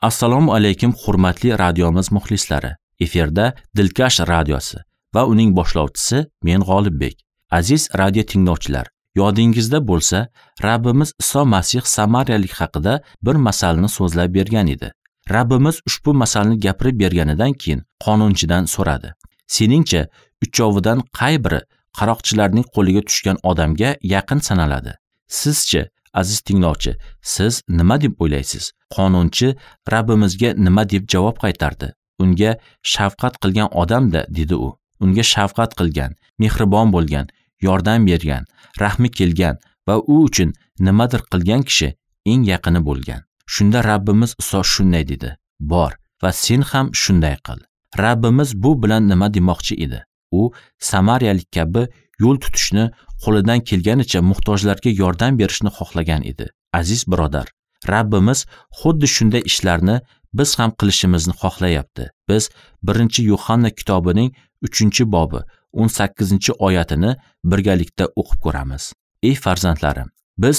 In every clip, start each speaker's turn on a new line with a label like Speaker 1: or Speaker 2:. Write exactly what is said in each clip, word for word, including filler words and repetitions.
Speaker 1: Assalomu alaykum hurmatli radiomiz muxlislari. Efirda Dilkash radiosi va uning boshlovchisi men G'olibbek. Aziz radio tinglovchilar, yodingizda bo'lsa, Rabbimiz Iso Masih Samariyalik haqida bir masalni so'zlab bergan edi. Rabbimiz ushbu masalni gapirib berganidan keyin qonunchidan so'radi. Seningcha, uchovidan qay biri qaroqchilarning qo'liga tushgan odamga yaqin sanaladi? Sizchi, aziz tinglovchi, siz nima deb o'ylaysiz? Qonunchi Rabbimizga nima deb javob qaytardi? Unga shafqat qilgan odam-da, dedi u. Unga shafqat qilgan, mehribon bo'lgan, yordam bergan, rahmi kelgan va u uchun nimadir qilgan kishi eng yaqini bo'lgan. Shunda Rabbimiz Iso shunday dedi: Bor va sen ham shunday qil. Rabbimiz bu bilan nima demoqchi edi? U Samariyalik kabi yo'l tutishni, qo'lidan kelganicha muhtojlarga yordam berishni xohlagan edi. Aziz birodar, Rabbimiz xuddi shunday ishlarni biz ham qilishimizni xohlayapti. Biz birinchi Yuhanna kitobining uchinchi bobi o'n sakkizinchi oyatini birgalikda o'qib ko'ramiz. Ey farzandlarim, biz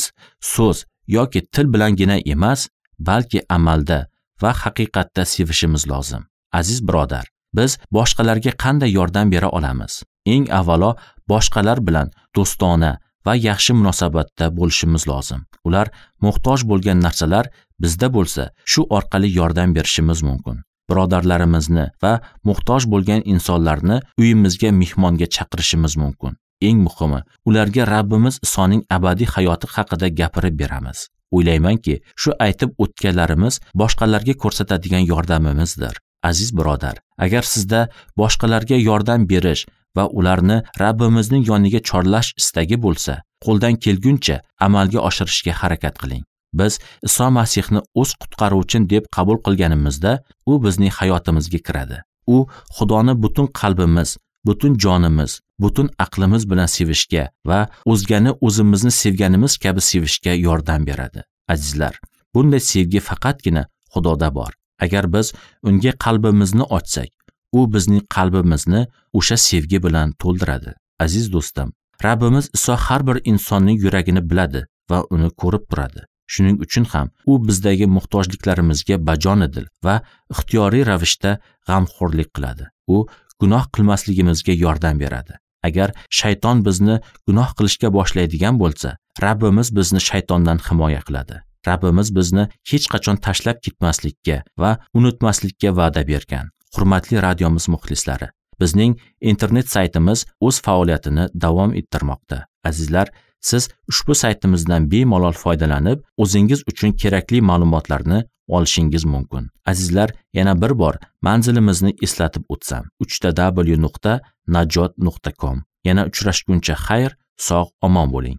Speaker 1: so'z yoki til bilangina emas, balki amalda va haqiqatda sevishimiz lozim. Aziz birodar, biz boshqalarga qanday yordam bera olamiz? Eng avvalo boshqalar bilan do'stona va yaxshi munosabatda bo'lishimiz lozim. Ular muhtoj bo'lgan narsalar bizda bo'lsa, shu orqali yordam berishimiz mumkin. Birodarlarimizni va muhtoj bo'lgan insonlarni uyimizga mehmonga chaqirishimiz mumkin. Eng muhimi, ularga Rabbimiz Isoning abadiy hayoti haqida gapirib beramiz. O'ylaymanki, shu aytib o'tganlarimiz boshqalarga ko'rsatadigan yordamimizdir. Aziz birodar, agar sizda boshqalarga yordam berish va ularni Rabbimizning yoniga chorlash istagi bo'lsa, qo'ldan kelguncha amalga oshirishga harakat qiling. Biz Iso Masihni o'z qutqaruvchim deb qabul qilganimizda, u bizning hayotimizga kiradi. U Xudoni butun qalbimiz, butun jonimiz, butun aqlimiz bilan sevishga va o'zgani o'zimizni sevganimiz kabi sevishga yordam beradi. Azizlar, bunday sevgi faqatgina Xudoda bor. Agar biz unga qalbimizni ochsak, u bizning qalbimizni o'sha sevgi bilan to'ldiradi. Aziz do'stim, Rabbimiz Iso har bir insonning yuragini biladi va uni ko'rib turadi. Shuning uchun ham u bizdagi muhtojliklarimizga bajonidil va ixtiyoriy ravishda g'amxo'rlik qiladi. U gunoh qilmasligimizga yordam beradi. Agar shayton bizni gunoh qilishga boshlaydigan bo'lsa, Rabbimiz bizni shaytondan himoya qiladi. Rabbimiz bizni hech qachon tashlab ketmaslikka va unutmaslikka va'da bergan. Hurmatli radiomiz muxlislari, bizning internet saytimiz o'z faoliyatini davom ettirmoqda. Azizlar, siz ushbu saytimizdan bemalol foydalanib, o'zingiz uchun kerakli ma'lumotlarni olishingiz mumkin. Azizlar, yana bir bor manzilimizni eslatib o'tsam: uch ta w nuqta najot nuqta com. Yana uchrashguncha xayr, sog' omon bo'ling.